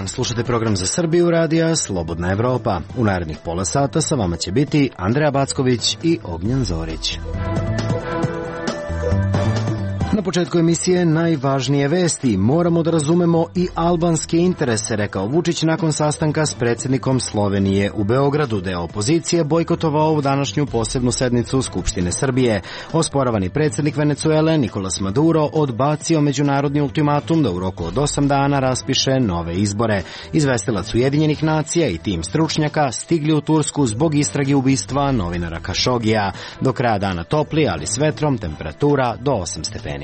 dan, slušate program za Srbiju radija Slobodna Evropa. U narednih pola sata sa vama će biti Andreja Backović i Ognjen Zorić. Na početku emisije najvažnije vesti. Moramo da razumemo i albanske interese, rekao Vučić nakon sastanka s predsjednikom Slovenije u Beogradu, da je opozicije bojkotovao ovu današnju posebnu sednicu Skupštine Srbije. Osporavani predsjednik Venecuele Nicolas Maduro odbacio međunarodni ultimatum da u roku od 8 dana raspiše nove izbore. Izvestilac Ujedinjenih nacija i tim stručnjaka stigli u Tursku zbog istrage ubistva novinara Kašogija. Do kraja dana topli, ali s vetrom, temperatura do 8 stepeni.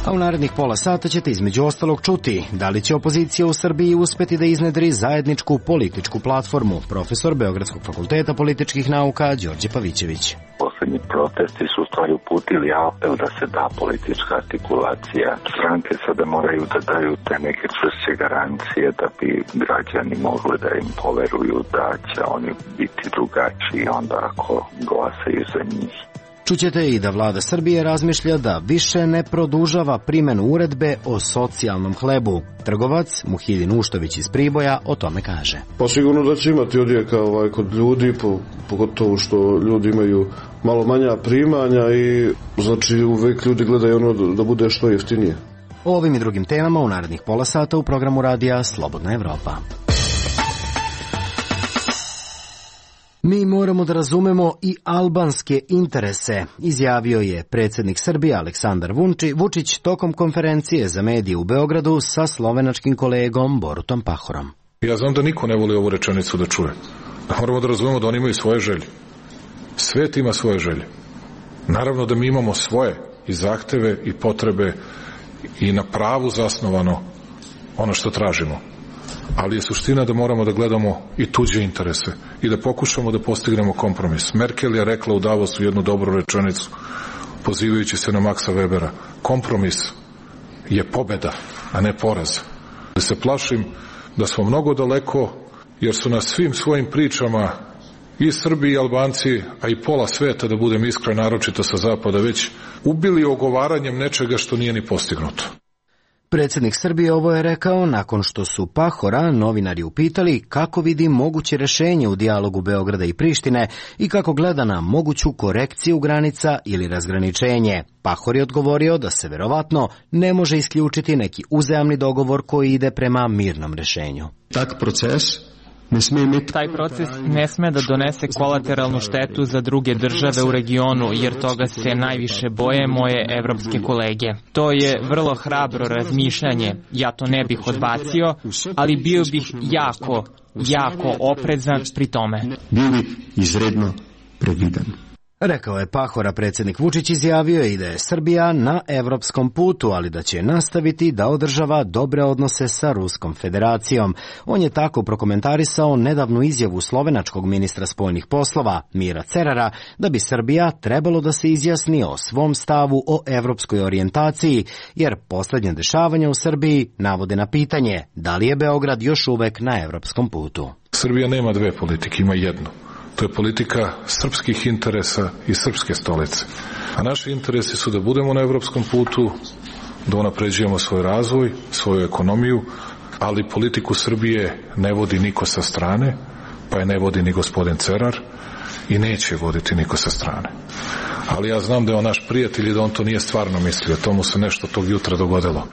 A u narednih pola sata ćete između ostalog čuti da li će opozicija u Srbiji uspeti da iznedri zajedničku političku platformu. Profesor Beogradskog fakulteta političkih nauka Đorđe Pavićević. Poslednji protesti su u stvari uputili apel da se da politička artikulacija. Stranke sada moraju da daju te neke čvršće garancije da bi građani mogli da im poveruju da će oni biti drugačiji onda ako glasaju za njih. Čućete i da vlada Srbije razmišlja da više ne produžava primjenu uredbe o socijalnom hlebu. Trgovac Muhidin Uštović iz Priboja o tome kaže. Pa sigurno da će imati odjeka kod ljudi, pogotovo što ljudi imaju malo manja primanja i znači uvek ljudi gledaju ono da bude što jeftinije. O ovim i drugim temama u narednih pola sata u programu radija Slobodna Evropa. Mi moramo da razumemo i albanske interese, izjavio je predsjednik Srbije Aleksandar Vučić tokom konferencije za medije u Beogradu sa slovenačkim kolegom Borutom Pahorom. Ja znam da niko ne voli ovu rečenicu da čuje. Moramo da razumemo da oni imaju svoje želje. Svet ima svoje želje. Naravno da mi imamo svoje i zahteve i potrebe i na pravu zasnovano ono što tražimo. Ali je suština da moramo da gledamo i tuđe interese i da pokušamo da postignemo kompromis. Merkel je rekla u Davosu jednu dobru rečenicu, pozivajući se na Maxa Webera. Kompromis je pobeda, a ne poraz. Da se plašim da smo mnogo daleko, jer su nas svim svojim pričama i Srbi i Albanci, a i pola sveta, da budem iskren, naročito sa zapada, već ubili ogovaranjem nečega što nije ni postignuto. Predsjednik Srbije ovo je rekao nakon što su Pahora novinari upitali kako vidi moguće rješenje u dijalogu Beograda i Prištine i kako gleda na moguću korekciju granica ili razgraničenje. Pahor je odgovorio da se verovatno ne može isključiti neki uzajamni dogovor koji ide prema mirnom rješenju. Taj proces ne sme da donese kolateralnu štetu za druge države u regionu, jer toga se najviše boje moje evropske kolege. To je vrlo hrabro razmišljanje, ja to ne bih odbacio, ali bio bih jako oprezan pri tome. Bili izredno previdan. Rekao je Pahora. Predsjednik Vučić izjavio je i da je Srbija na evropskom putu, ali da će nastaviti da održava dobre odnose sa Ruskom federacijom. On je tako prokomentarisao nedavnu izjavu slovenačkog ministra spoljnih poslova Mira Cerara da bi Srbija trebalo da se izjasni o svom stavu o evropskoj orijentaciji, jer posljednje dešavanja u Srbiji navode na pitanje da li je Beograd još uvek na evropskom putu. Srbija nema dve politike, ima jednu. To je politika srpskih interesa i srpske stolice. A naši interesi su da budemo na evropskom putu, da unapređujemo svoj razvoj, svoju ekonomiju, ali politiku Srbije ne vodi niko sa strane, pa je ne vodi ni gospodin Cerar i neće voditi niko sa strane. Ali ja znam da je on naš prijatelj i da on to nije stvarno mislio. Tomu se nešto tog jutra dogodilo.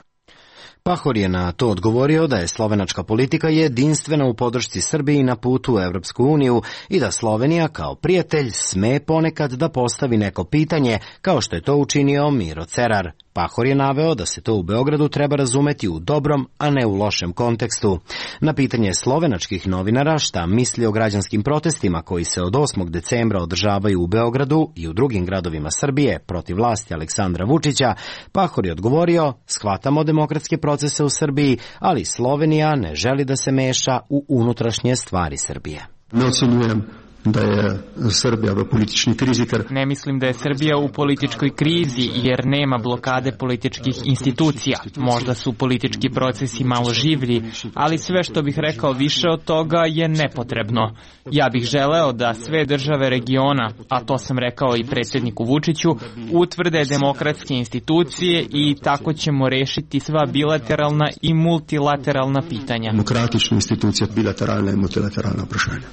Pahor je na to odgovorio da je slovenačka politika jedinstvena u podršci Srbiji na putu u Evropsku uniju i da Slovenija kao prijatelj sme ponekad da postavi neko pitanje, kao što je to učinio Miro Cerar. Pahor je naveo da se to u Beogradu treba razumeti u dobrom, a ne u lošem kontekstu. Na pitanje slovenačkih novinara šta misli o građanskim protestima koji se od 8. decembra održavaju u Beogradu i u drugim gradovima Srbije protiv vlasti Aleksandra Vučića, Pahor je odgovorio: shvatamo demokratske procese u Srbiji, ali Slovenija ne želi da se meša u unutrašnje stvari Srbije. Ne ocenjujem da je Srbija v politični krizi. Ne mislim da je Srbija u političkoj krizi jer nema blokade političkih institucija. Možda su politički procesi malo življi, ali sve što bih rekao više od toga je nepotrebno. Ja bih želeo da sve države regiona, a to sam rekao i predsjedniku Vučiću, utvrde demokratske institucije i tako ćemo rešiti sva bilateralna i multilateralna pitanja. Demokratična institucija, bilateralna i multilateralna prašanja.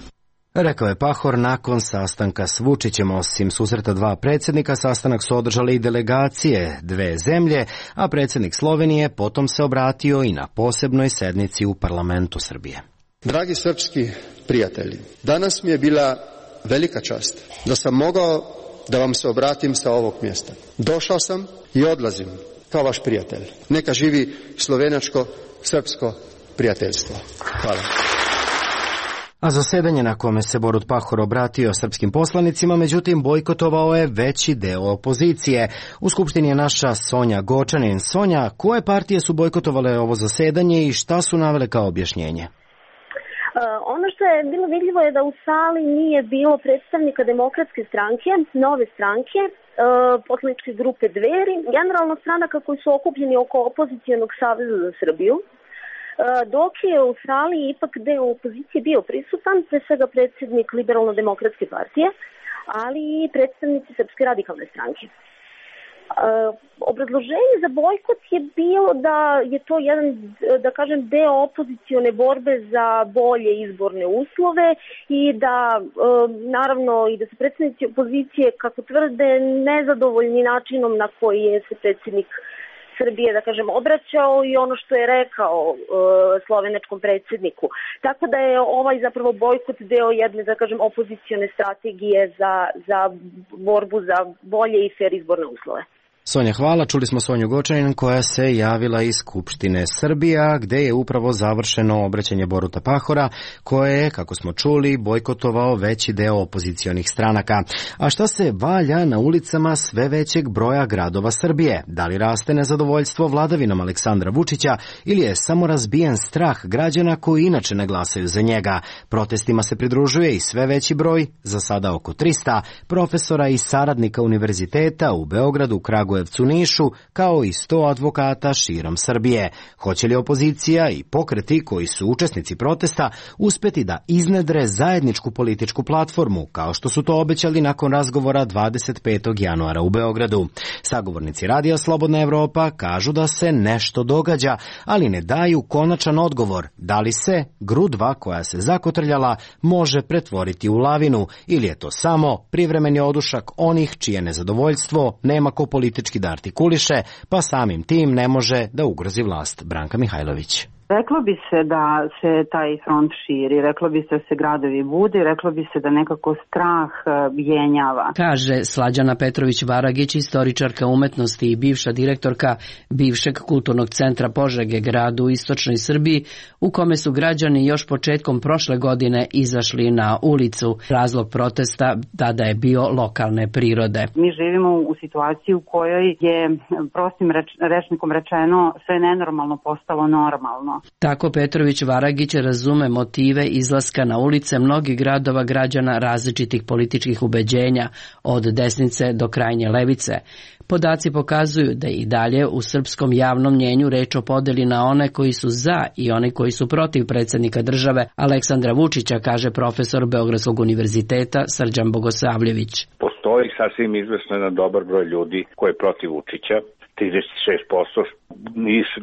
Rekao je Pahor nakon sastanka s Vučićem. Osim susreta dva predsjednika, sastanak su održale i delegacije dve zemlje, a predsjednik Slovenije potom se obratio i na posebnoj sednici u parlamentu Srbije. Dragi srpski prijatelji, danas mi je bila velika čast da sam mogao da vam se obratim sa ovog mjesta. Došao sam i odlazim kao vaš prijatelj. Neka živi slovenačko-srpsko prijateljstvo. Hvala. A zasedanje na kome se Borut Pahor obratio srpskim poslanicima, međutim, bojkotovao je veći deo opozicije. U Skupštini je naša Sonja Gočanin. Sonja, koje partije su bojkotovale ovo zasedanje i šta su navele kao objašnjenje? Ono što je bilo vidljivo je da u sali nije bilo predstavnika Demokratske stranke, Nove stranke, poslaničke grupe Dveri, generalno stranaka koji su okupljeni oko Opozicijonog saveza za Srbiju. Dok je u sali ipak deo opozicije bio prisutan, pre svega predsjednik Liberalno-demokratske partije, ali i predstavnici Srpske radikalne stranke. Obrazloženje za bojkot je bilo da je to jedan, da kažem, deo opozicione borbe za bolje izborne uslove i da, naravno, i da su predstavnici opozicije, kako tvrde, nezadovoljni načinom na koji je se predsjednik Srbije, da kažem, obraćao i ono što je rekao slovenačkom predsjedniku. Tako da je ovaj zapravo bojkot deo jedne, da kažem, opozicione strategije za borbu za bolje i fer izborne uslove. Sonja, hvala. Čuli smo Sonju Gočanin koja se javila iz Skupštine Srbija, gde je upravo završeno obraćanje Boruta Pahora, koje je, kako smo čuli, bojkotovao veći deo opozicionih stranaka. A šta se valja na ulicama sve većeg broja gradova Srbije? Da li raste nezadovoljstvo vladavinom Aleksandra Vučića ili je samo razbijen strah građana koji inače ne glasaju za njega? Protestima se pridružuje i sve veći broj, za sada oko 300, profesora i saradnika univerziteta u Beogradu, Kragujevcu, Nišu, kao i 100 advokata širom Srbije. Hoće li opozicija i pokreti koji su učesnici protesta uspeti da iznedre zajedničku političku platformu, kao što su to obećali nakon razgovora 25. januara u Beogradu? Sagovornici Radija Slobodna Evropa kažu da se nešto događa, ali ne daju konačan odgovor. Da li se grudva koja se zakotrljala može pretvoriti u lavinu ili je to samo privremeni odušak onih čije nezadovoljstvo nema ko politički da artikuliše, pa samim tim ne može da ugrozi vlast. Branka Mihajlović. Reklo bi se da se taj front širi, reklo bi se da se gradovi bude, reklo bi se da nekako strah jenjava. Kaže Slađana Petrović-Varagić, istoričarka umetnosti i bivša direktorka bivšeg kulturnog centra Požege, gradu u istočnoj Srbiji, u kome su građani još početkom prošle godine izašli na ulicu. Razlog protesta tada je bio lokalne prirode. Mi živimo u situaciji u kojoj je prostim rečnikom rečeno sve nenormalno postalo normalno. Tako Petrović-Varagić razume motive izlaska na ulice mnogih gradova građana različitih političkih ubeđenja, od desnice do krajnje levice. Podaci pokazuju da i dalje u srpskom javnom mnjenju reč o podeli na one koji su za i one koji su protiv predsjednika države Aleksandra Vučića, kaže profesor Beogradskog univerziteta Srđan Bogosavljević. Postoji sasvim izvesno jedan dobar broj ljudi koji je protiv Vučića, 36%,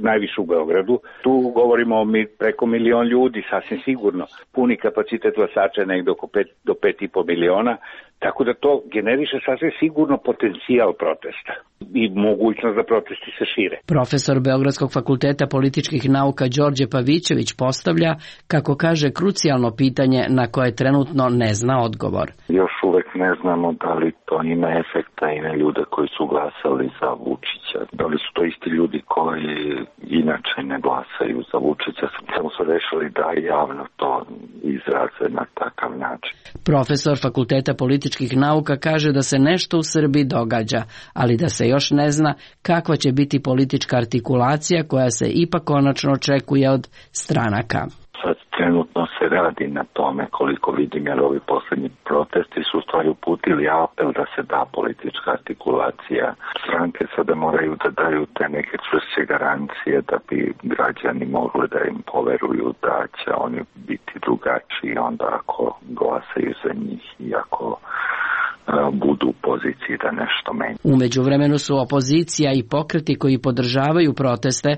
najviše u Beogradu. Tu govorimo o preko milion ljudi, sasvim sigurno. Puni kapacitet glasača je negdje oko 5 do 5,5 miliona, tako da to generiše sasvim sigurno potencijal protesta i mogućnost da protesti se šire. Profesor Beogradskog fakulteta političkih nauka Đorđe Pavićević postavlja, kako kaže, krucijalno pitanje na koje trenutno ne zna odgovor. Još uvek ne znamo da li to ima efekta i na ljude koji su glasali za Vučića. Da li su to isti ljudi koji inače ne glasaju za Vučića, samo su rešili da javno to izraze na takav način. Profesor fakulteta političkih nauka kaže da se nešto u Srbiji događa, ali da se još ne zna kakva će biti politička artikulacija koja se ipak konačno očekuje od stranaka. Sad trenutno se radi na tome, koliko vidim, jer ovi poslednji protesti su u stvari uputili apel da se da politička artikulacija. Stranke sada moraju da daju te neke čvršće garancije da bi građani mogli da im poveruju da će oni biti drugačiji onda ako glasaju za njih i ako budu u poziciji da nešto menja. U međuvremenu su opozicija i pokreti koji podržavaju proteste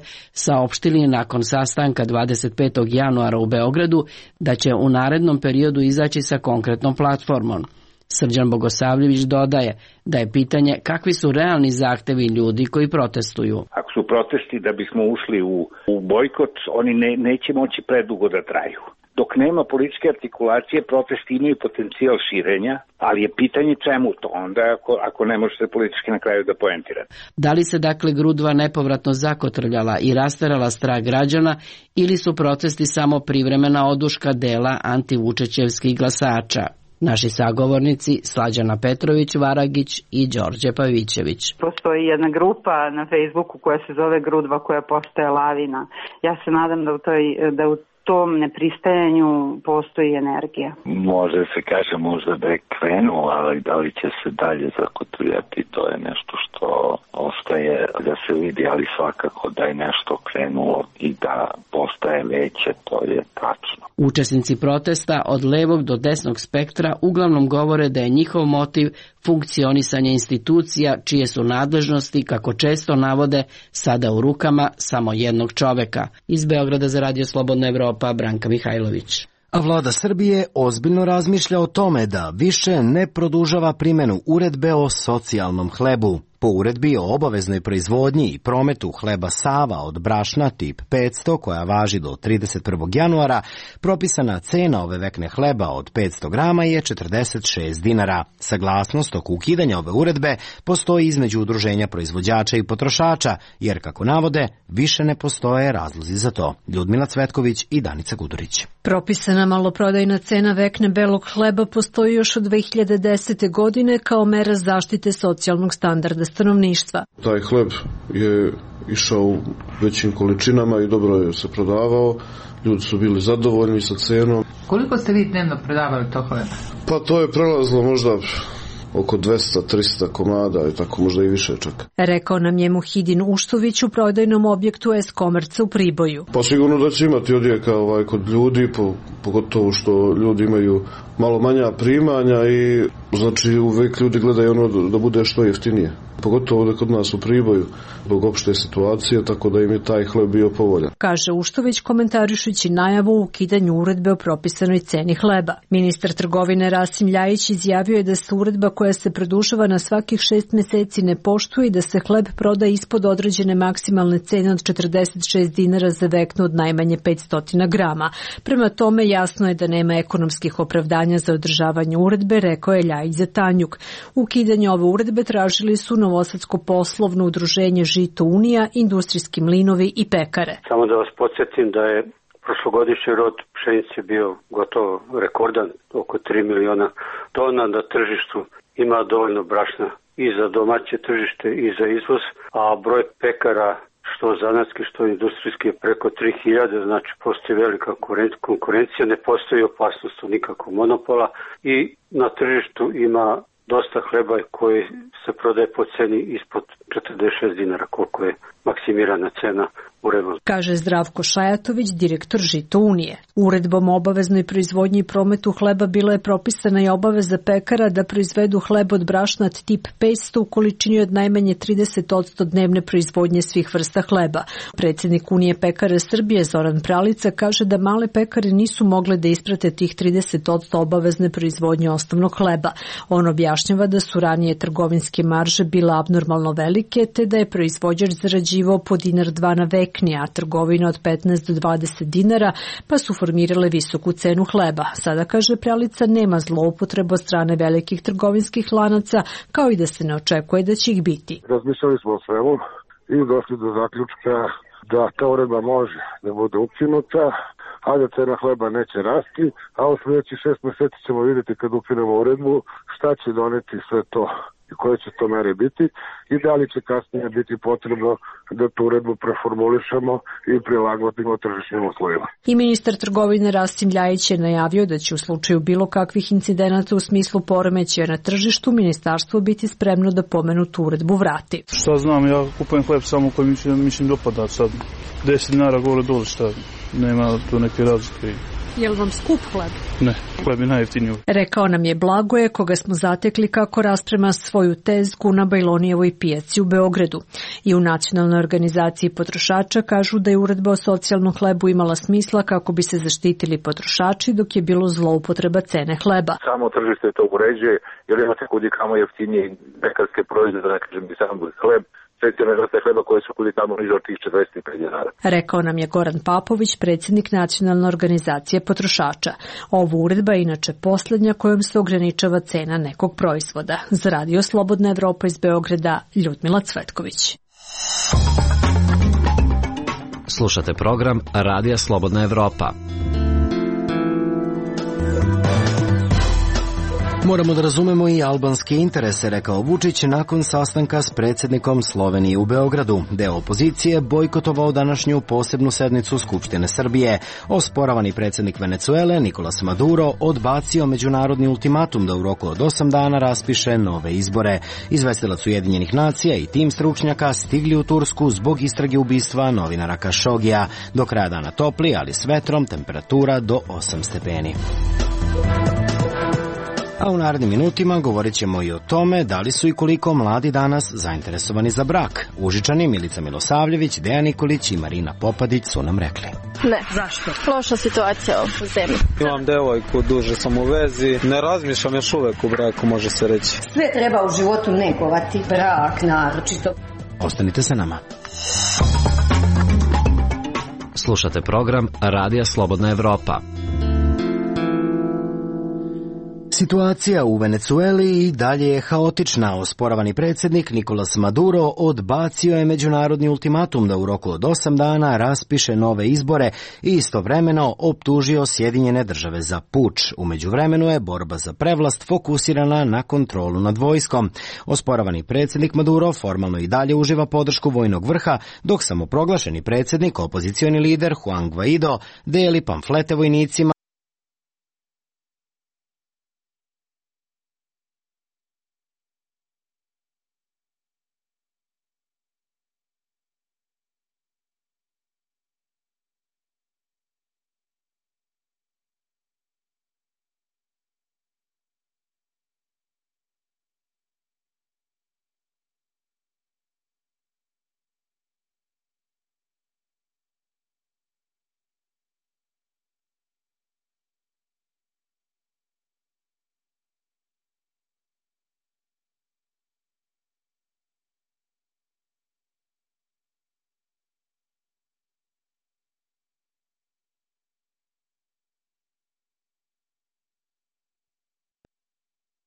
saopštili nakon sastanka 25. januara u Beogradu da će u narednom periodu izaći sa konkretnom platformom. Srđan Bogosavljević dodaje da je pitanje kakvi su realni zahtevi ljudi koji protestuju. Ako su protesti da bismo ušli u bojkot, oni neće moći predugo da traju. Dok nema političke artikulacije, protesti imaju potencijal širenja, ali je pitanje čemu to onda ako ne možete politički na kraju da poentirate. Da li se dakle grudva nepovratno zakotrljala i rasterala strah građana ili su protesti samo privremena oduška dela antivučećevskih glasača? Naši sagovornici Slađana Petrović Varagić i Đorđe Pavićević. Postoji jedna grupa na Facebooku koja se zove Grudva koja postaje lavina. Ja se nadam da u tom nepristajanju postoji energija. Može se kaže možda da je krenuo, ali da li će se dalje zakotrljati, to je nešto što ostaje da se vidi, ali svakako da je nešto krenulo i da postaje veće, to je tačno. Učesnici protesta od levog do desnog spektra uglavnom govore da je njihov motiv funkcionisanje institucija čije su nadležnosti, kako često navode, sada u rukama samo jednog čoveka. Iz Beograda za Radio Slobodna Evropa, Branka Mihajlović. A vlada Srbije ozbiljno razmišlja o tome da više ne produžava primjenu uredbe o socijalnom hlebu. Po uredbi o obaveznoj proizvodnji i prometu hleba Sava od brašna tip 500 koja važi do 31. januara, propisana cena ove vekne hleba od 500 grama je 46 dinara. Saglasnost oko ukidanja ove uredbe postoji između udruženja proizvođača i potrošača, jer kako navode, više ne postoje razlozi za to. Ljudmila Cvetković i Danica Gudurić. Propisana maloprodajna cena vekne belog hleba postoji još od 2010. godine kao mera zaštite socijalnog standarda stanovništva. Taj hleb je išao u većim količinama i dobro je se prodavao. Ljudi su bili zadovoljni sa cenom. Koliko ste vi dnevno prodavali to hleba? Pa to je prelazilo možda oko 200-300 komada i tako možda i više čak. Rekao nam je Muhidin Uštović u prodajnom objektu S-Komerca u Priboju. Pa sigurno da će imati odjeka kod ljudi, pogotovo što ljudi imaju malo manja primanja i znači uvek ljudi gledaju ono da bude što jeftinije. Pogotovo da kod nas u Priboju, zbog opšte situacije, tako da im je taj hleb bio povoljan. Kaže Uštović komentarišući najavu o ukidanju uredbe o propisanoj ceni hleba. Ministar trgovine Rasim Ljajić izjavio je da se uredba koja se produžava na svakih 6 meseci ne poštuje i da se hleb proda ispod određene maksimalne cene od 46 dinara za veknu od najmanje 500 grama. Prema tome jasno je da nema ekonomskih opravdanja za održavanje uredbe, rekao je Ljajić za Tanjuk. Ukidanje ove uredbe tražili su Novosadsko poslovno udruženje Žito Unija, industrijski mlinovi i pekare. Samo da vas podsjetim da je prošlogodišnji rod pšenice bio gotovo rekordan, oko 3 miliona tona na tržištu. Ima dovoljno brašna i za domaće tržište i za izvoz, a broj pekara što zanatski, što industrijski je preko 3000, znači postoji velika konkurencija, ne postoji opasnost od nikakvog monopola i na tržištu ima dosta hleba koji se prodaje po ceni ispod 46 dinara, koliko je maksimirana cena uredbom. Kaže Zdravko Šajatović, direktor Žito Unije. Uredbom o obaveznoj proizvodnji i prometu hleba bila je propisana i obaveza pekara da proizvedu hleb od brašnat tip 500 u količini od najmanje 30% dnevne proizvodnje svih vrsta hleba. Predsjednik Unije pekara Srbije Zoran Pralica kaže da male pekare nisu mogle da isprate tih 30% obavezne proizvodnje osnovnog hleba. On objašnjava da su ranije trgovinske marže bila abnormalno velike, te da je proizvođač zarađivao po $1-2 na vekni, a trgovina od 15 do 20 dinara, pa su formirale visoku cenu hleba. Sada, kaže Pralica, nema zloupotreba od strane velikih trgovinskih lanaca, kao i da se ne očekuje da će ih biti. Razmišljali smo o svemu i došli do zaključka da ta uredba može da bude ukinuta, a da cena hleba neće rasti, a u sljedećih 6 meseci ćemo vidjeti kad ukinemo uredbu šta će doneti sve to i koje će to mere biti i da li će kasnije biti potrebno da tu uredbu preformulišemo i prilagodimo tržišnim uslovima. I ministar trgovine Rastim Ljajić je najavio da će u slučaju bilo kakvih incidenata u smislu poremećaja na tržištu ministarstvo biti spremno da pomenutu uredbu vrati. Šta znam, ja kupujem hleb samo koji mi dopada sad. 10 dinara gore dole, šta, nema tu neke razlike. Je li vam skup hleb? Ne, hleb je najjeftiniji. Rekao nam je Blagoje, koga smo zatekli kako rasprema svoju tezgu na Bajlonijevoj pijaci u Beogradu. I u Nacionalnoj organizaciji potrošača kažu da je uredba o socijalnom hlebu imala smisla kako bi se zaštitili potrošači dok je bilo zloupotreba cene hleba. Samo tržište to uređuje, jer imate kudi kamo jeftinije pekarske proizvode, da ne kažem bi sam hleb, specijalne vrste hleba koje su kudi tamo niže od tih 45 dinara. Rekao nam je Goran Papović, predsjednik Nacionalne organizacije potrošača. Ova uredba je inače posljednja kojom se ograničava cena nekog proizvoda. Za Radio Slobodna Evropa iz Beograda, Ljudmila Cvetković. Slušate program Radija Slobodna Evropa. Moramo da razumemo i albanske interese, rekao Vučić nakon sastanka s predsjednikom Slovenije u Beogradu. Deo opozicije bojkotovao današnju posebnu sednicu Skupštine Srbije. Osporavani predsjednik Venecuele Nicolas Maduro odbacio međunarodni ultimatum da u roku od 8 dana raspiše nove izbore. Izvestilac Ujedinjenih nacija i tim stručnjaka stigli u Tursku zbog istrage ubistva novinara Kašogija. Do kraja dana topli, ali s vetrom, temperatura do 8 stepeni. A u narednim minutima govorit ćemo i o tome da li su i koliko mladi danas zainteresovani za brak. Užičani Milica Milosavljević, Dejan Nikolić i Marina Popadić su nam rekli. Ne. Zašto? Loša situacija u zemlji. Imam devojku, duže sam u vezi, ne razmišljam još uvek u braku, može se reći. Sve treba u životu negovati, brak naročito. Ostanite sa nama. Slušate program Radija Slobodna Evropa. Situacija u Venecueli i dalje je haotična. Osporavani predsjednik Nicolas Maduro odbacio je međunarodni ultimatum da u roku od 8 dana raspiše nove izbore i istovremeno optužio Sjedinjene države za puč. U međuvremenu je borba za prevlast fokusirana na kontrolu nad vojskom. Osporavani predsjednik Maduro formalno i dalje uživa podršku vojnog vrha, dok samoproglašeni predsjednik, opozicioni lider Juan Guaido, deli pamflete vojnicima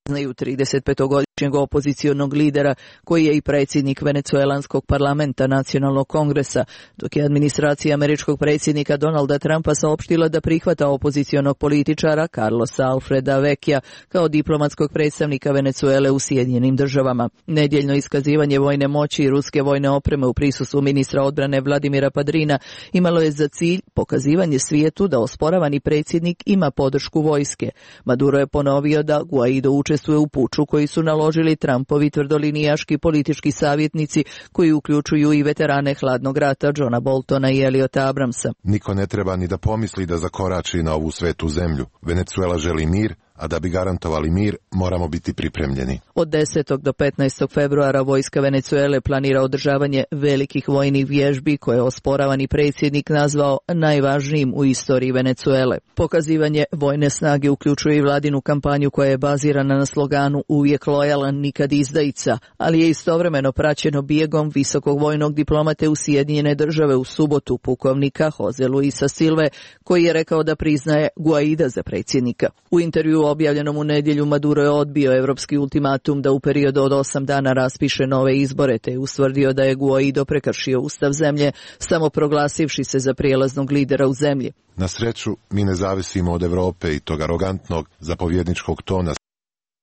znaju 35-godišnjeg opozicionog lidera koji je i predsjednik venecuelanskog parlamenta Nacionalnog kongresa, dok je administracija američkog predsjednika Donalda Trumpa saopštila da prihvata opozicionog političara Carlosa Alfreda Vecchia kao diplomatskog predstavnika Venecuele u Sjedinjenim državama. Nedjeljno iskazivanje vojne moći i ruske vojne opreme u prisustvu ministra odbrane Vladimira Padrina imalo je za cilj pokazivanje svijetu da osporavani predsjednik ima podršku vojske. Maduro je ponovio da Guaido učestvuje u puču koji su naložili Trumpovi tvrdolinijaški politički savjetnici koji uključuju i veterane hladnog rata Johna Boltona i Eliota Abramsa. Niko ne treba ni da pomisli da zakorači na ovu svetu zemlju. Venecuela želi mir, a da bi garantovali mir, moramo biti pripremljeni. Od 10. do 15. februara vojska Venecuele planira održavanje velikih vojnih vježbi koje je osporavani predsjednik nazvao najvažnijim u istoriji Venecuele. Pokazivanje vojne snage uključuje i vladinu kampanju koja je bazirana na sloganu uvijek lojalan, nikad izdajica, ali je istovremeno praćeno bijegom visokog vojnog diplomate u Sjedinjene države u subotu, pukovnika Jose Luisa Silve, koji je rekao da priznaje Guaida za predsjednika. U intervju objavljenom u nedjelju Maduro je odbio evropski ultimatum da u periodu od 8 dana raspiše nove izbore, te je ustvrdio da je Guaido prekršio ustav zemlje, samo proglasivši se za prijelaznog lidera u zemlji. Na sreću, mi ne zavisimo od Evrope i tog arogantnog zapovjedničkog tona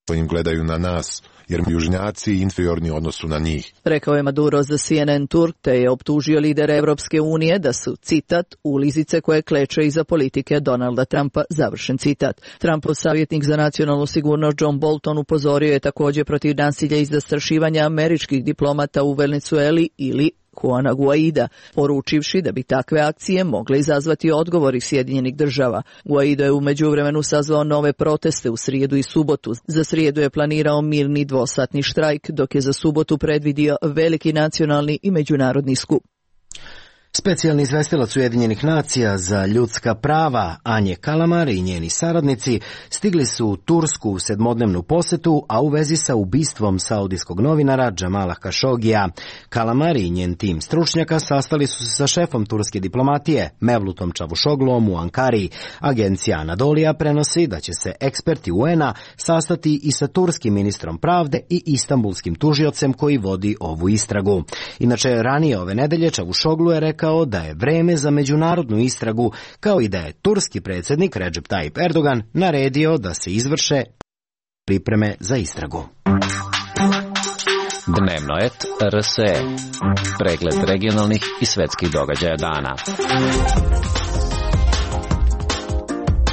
im gledaju na nas, jer južnjaci inferiorni u odnosu na njih. Rekao je Maduro za CNN Turk, te je optužio lidere Evropske unije da su, citat, ulizice koje kleče iza politike Donalda Trumpa, završen citat. Trumpov savjetnik za nacionalnu sigurnost John Bolton upozorio je također protiv nasilja i zastrašivanja američkih diplomata u Venezueli ili Juana Guaida, poručivši da bi takve akcije mogle izazvati odgovor iz Sjedinjenih država. Guaido je u međuvremenu sazvao nove proteste u srijedu i subotu. Za srijedu je planirao mirni dvosatni štrajk, dok je za subotu predvidio veliki nacionalni i međunarodni skup. Specijalni izvestilac Ujedinjenih nacija za ljudska prava Anje Kalamar i njeni saradnici stigli su u Tursku u 7-dnevnu posetu, a u vezi sa ubistvom saudijskog novinara Džamala Kašogija. Kalamar i njen tim stručnjaka sastali su se sa šefom turske diplomatije Mevlutom Čavuşogluom u Ankari. Agencija Anadolija prenosi da će se eksperti UN-a sastati i sa turskim ministrom pravde i istambulskim tužiocem koji vodi ovu istragu. Inače, ranije ove nedelje Čavuşoglu je rekao da je vreme za međunarodnu istragu, kao i da je turski predsjednik Recep Tayyip Erdogan naredio da se izvrše pripreme za istragu. Dnevnoet RSE. Pregled regionalnih i svetskih događaja dana.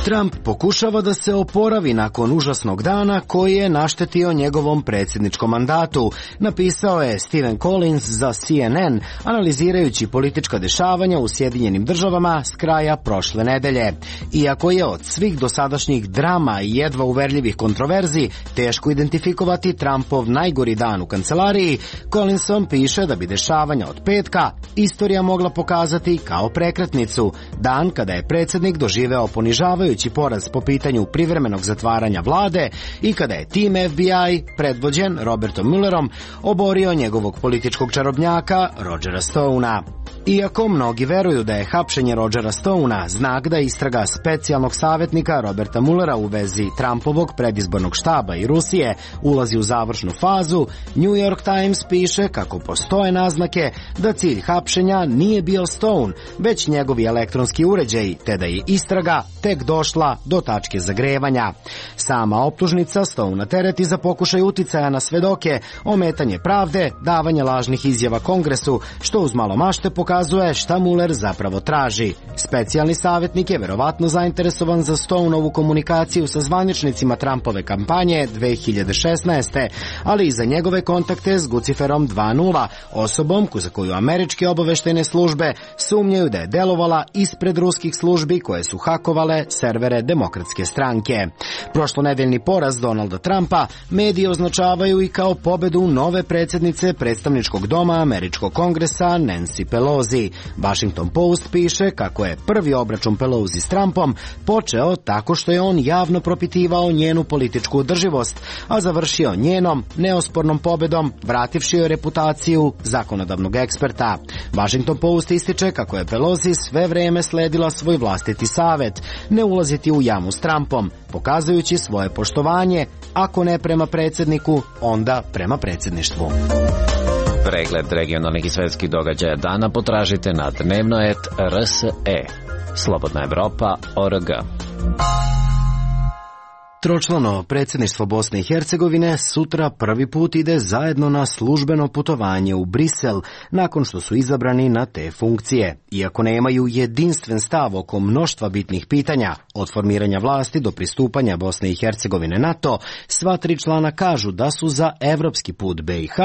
Trump pokušava da se oporavi nakon užasnog dana koji je naštetio njegovom predsjedničkom mandatu, napisao je Stephen Collins za CNN, analizirajući politička dešavanja u Sjedinjenim državama s kraja prošle nedelje. Iako je od svih dosadašnjih drama i jedva uverljivih kontroverzi teško identifikovati Trumpov najgori dan u kancelariji, Collinson piše da bi dešavanja od petka istorija mogla pokazati kao prekretnicu, dan kada je predsjednik doživeo ponižavajući poraz po pitanju privremenog zatvaranja vlade i kada je tim FBI, predvođen Robertom Muellerom, oborio njegovog političkog čarobnjaka Rogera Stonea. Iako mnogi veruju da je hapšenje Rogera Stonea znak da istraga specijalnog savjetnika Roberta Muellera u vezi Trumpovog predizbornog štaba i Rusije ulazi u završnu fazu, New York Times piše kako postoje naznake da cilj hapšenja nije bio Stone, već njegovi elektronski uređaji, te da je istraga tek došla do tačke zagrevanja. Sama optužnica Stonea tereti za pokušaj uticaja na svedoke, ometanje pravde, davanje lažnih izjava Kongresu, što uz malo mašte pokazuje šta Mueller zapravo traži. Specijalni savjetnik je verovatno zainteresovan za Stoneovu komunikaciju sa zvaničnicima Trumpove kampanje 2016. ali i za njegove kontakte s Guciferom 2.0, osobom za koju američke obaveštajne službe sumnjaju da je delovala ispred ruskih službi koje su hakovale servere Demokratske stranke. Prošlonedeljni poraz Donalda Trumpa mediji označavaju i kao pobedu nove predsjednice predstavničkog doma američkog kongresa Nancy Pelosi. Washington Post piše kako je prvi obračun Pelosi s Trumpom počeo tako što je on javno propitivao njenu političku održivost, a završio njenom neospornom pobedom, vrativši joj reputaciju zakonodavnog eksperta. Washington Post ističe kako je Pelosi sve vreme sledila svoj vlastiti savet, ne ulaziti u jamu s Trumpom, pokazujući svoje poštovanje, ako ne prema predsjedniku, onda prema predsjedništvu. Pregled regionalnih i svetskih događaja dana potražite na dnevnoet.rse. Slobodna Evropa.org. Tročlano predsjedništvo Bosne i Hercegovine sutra prvi put ide zajedno na službeno putovanje u Brisel nakon što su izabrani na te funkcije. Iako nemaju jedinstven stav oko mnoštva bitnih pitanja, od formiranja vlasti do pristupanja Bosne i Hercegovine NATO, sva tri člana kažu da su za evropski put BiH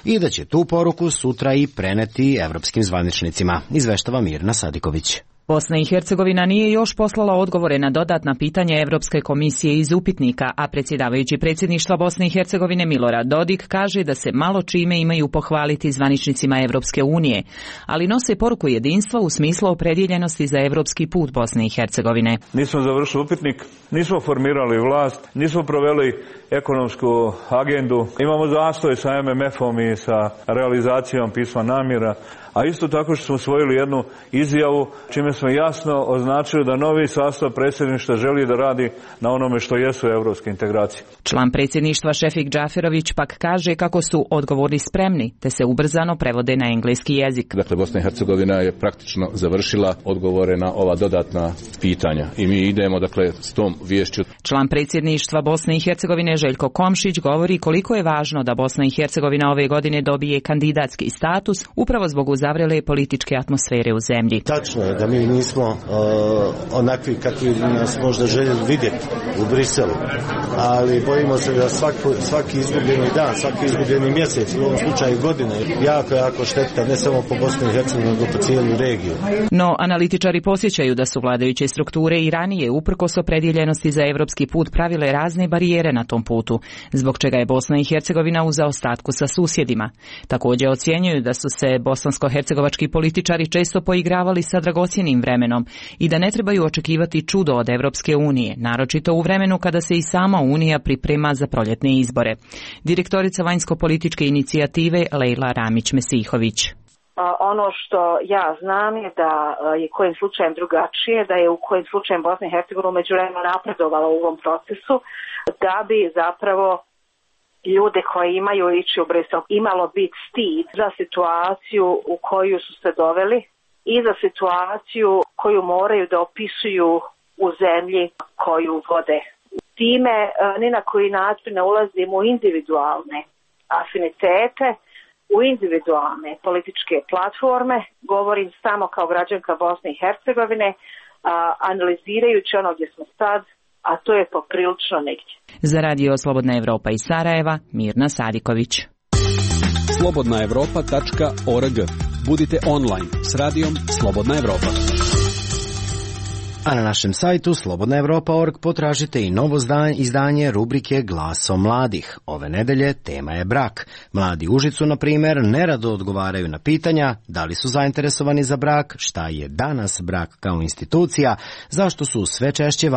i da će tu poruku sutra i preneti evropskim zvaničnicima, izveštava Mirna Sadiković. Bosna i Hercegovina nije još poslala odgovore na dodatna pitanja Evropske komisije iz upitnika, a predsjedavajući predsjedništva Bosne i Hercegovine Milorad Dodik kaže da se malo čime imaju pohvaliti zvaničnicima Evropske unije, ali nose poruku jedinstva u smislu opredjeljenosti za evropski put Bosne i Hercegovine. Nismo završili upitnik, nismo formirali vlast, nismo proveli ekonomsku agendu, imamo zastoj sa MMF-om i sa realizacijom pisma namjera, a isto tako što smo usvojili jednu izjavu čime smo jasno označili da novi sastav predsjedništva želi da radi na onome što jesu evropske integracije. Član predsjedništva Šefik Džaferović pak kaže kako su odgovori spremni, te se ubrzano prevode na engleski jezik. Dakle, Bosna i Hercegovina je praktično završila odgovore na ova dodatna pitanja i mi idemo s tom viješću. Član predsjedništva Bosne i Hercegovine Željko Komšić govori koliko je važno da Bosna i Hercegovina ove godine dobije kandidatski status upravo zbog uzavrele političke atmosfere u zemlji. Tačno je da mi nismo onakvi kakvi nas možda željeli vidjeti u Briselu, ali bojimo se da svaki izgubljeni dan, svaki izgubljeni mjesec, u ovom slučaju godine, jako šteta ne samo po Bosni i Hercegovini, nego po cijelu regiju. No, analitičari posjećaju da su vladajuće strukture i ranije uprkos opredjeljenosti za evropski put pravile razne barijere na tom putu, zbog čega je Bosna i Hercegovina u zaostatku sa susjedima. Također ocjenjuju da su se bosansko-hercegovački političari često poigravali sa dragocjenim vremenom i da ne trebaju očekivati čudo od Evropske unije, naročito u vremenu kada se i sama Unija priprema za proljetne izbore. Direktorica vanjsko-političke inicijative Lejla Ramić-Mesihović. Ono što ja znam je da je kojim slučajem drugačije, da je u kojim slučajem Bosna i Hercegovina međuvremeno napredovala u ovom procesu, da bi zapravo ljude koji imaju ići u Brisel imalo biti stid za situaciju u koju su se doveli i za situaciju koju moraju da opisuju u zemlji koju vode. Time ni na koji način ne ulazimo u individualne afinitete, u individualne političke platforme, govorim samo kao građanka Bosne i Hercegovine, analizirajući ono gdje smo sad, a to je poprilično negdje. Za Radio Slobodna Evropa iz Sarajeva, Mirna Sadiković. slobodnaevropa.org. Budite online s radijom Slobodna Evropa. A na našem sajtu slobodnaevropa.org potražite i novo izdanje rubrike Glaso mladih. Ove nedelje tema je brak. Mladi u Užicu, na primjer, nerado odgovaraju na pitanja da li su zainteresovani za brak, šta je danas brak kao institucija, zašto su sve češće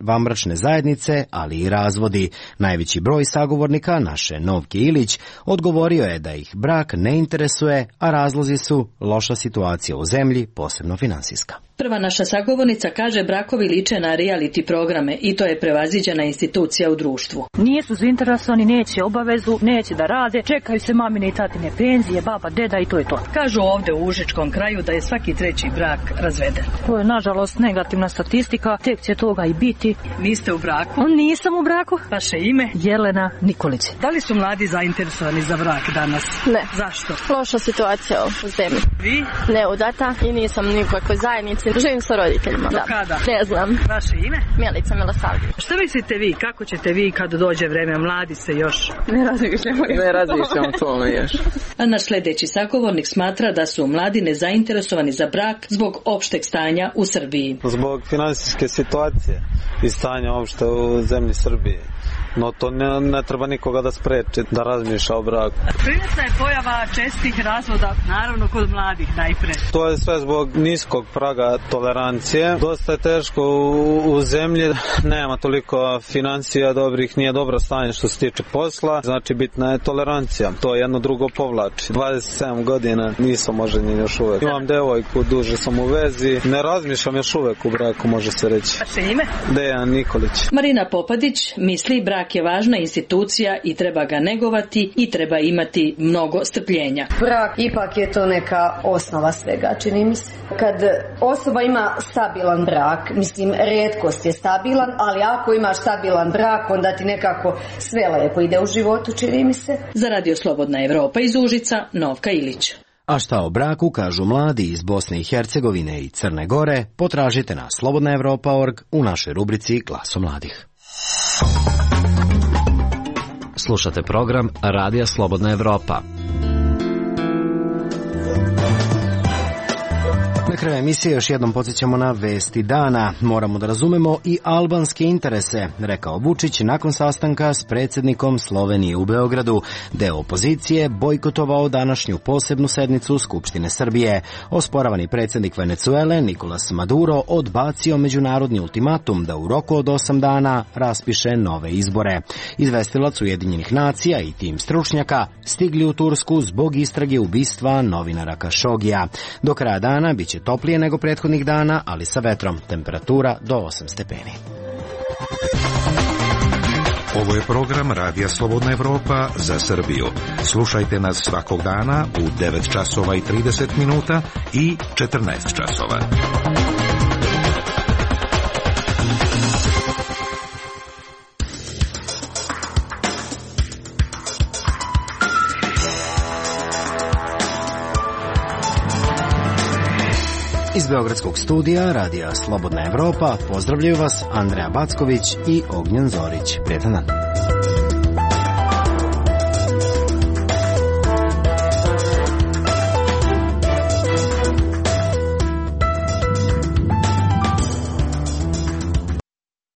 vanbračne zajednice, ali i razvodi. Najveći broj sagovornika naše Novke Ilić odgovorio je da ih brak ne interesuje, a razlozi su loša situacija u zemlji, posebno finansijska. Prva naša sagovornica kaže brakovi liče na reality programe i to je prevaziđena institucija u društvu. Nisu zainteresovani, neće obavezu, neće da rade, čekaju se mamine i tatine penzije, baba, deda i to je to. Kažu ovdje u Užičkom kraju da je svaki treći brak razveden. To je nažalost negativna statistika, tek će toga i biti. Vi ste u braku? Nisam u braku. Vaše ime? Jelena Nikolić. Da li su mladi zainteresovani za brak danas? Ne. Zašto? Loša situacija u zemlji. Vi? Neudata i nisam nikakvoj zajednici. Živim sa roditeljima. Do kada? Ne znam. Vaše ime? Milica Milosavljević. Što mislite vi? Kako ćete vi kad dođe vreme? Mladi se još. Ne razmišljamo o tome još. A naš sljedeći sagovornik smatra da su mladi nezainteresovani za brak zbog opšteg stanja u Srbiji. Zbog finansijske situacije i stanja opšte u zemlji Srbije. No to ne treba nikoga da spreči da razmišlja o braku. Primetna je pojava čestih razvoda, naravno kod mladih najpre. To je sve zbog niskog praga tolerancije. Dosta je teško u zemlji, nema toliko financija dobrih, nije dobro stanje što se tiče posla, znači bitna je tolerancija. To jedno drugo povlači. 27 godina nisam oženjen još uvek. Imam devojku, duže sam u vezi, ne razmišljam još uvek u braku, može se reći. Vaše ime? Dejan Nikolić. Marina Popadić misli brak je važna institucija i treba ga negovati i treba imati mnogo strpljenja. Brak ipak je to neka osnova svega, čini mi se. Kad osoba ima stabilan brak, mislim, rijetkost je stabilan, ali ako imaš stabilan brak, onda ti nekako sve lepo ide u životu, čini mi se. Za Radio Slobodna Evropa iz Užica, Novka Ilić. A šta o braku kažu mladi iz Bosne i Hercegovine i Crne Gore, potražite na slobodnaevropa.org u našoj rubrici Glaso mladih. Slušate program Radija Slobodna Evropa. Na kraju emisije još jednom podsjećamo na vesti dana. Moramo da razumemo i albanske interese, rekao Vučić nakon sastanka s predsjednikom Slovenije u Beogradu. Deo opozicije bojkotovao današnju posebnu sednicu Skupštine Srbije. Osporavani predsjednik Venecuele Nicolas Maduro odbacio međunarodni ultimatum da u roku od 8 dana raspiše nove izbore. Izvestilac Ujedinjenih nacija i tim stručnjaka stigli u Tursku zbog istrage ubistva novinara Kašogija. Do kraja dana biće toplije nego prethodnih dana, ali sa vetrom. Temperatura do 8 stepeni. Ovo je program Radija Slobodna Evropa za Srbiju. Slušajte nas svakog dana u 9 časova i 30 minuta i 14 časova. Iz Beogradskog studija Radija Slobodna Evropa pozdravljaju vas Andreja Backović i Ognjen Zorić. Prijetan dan.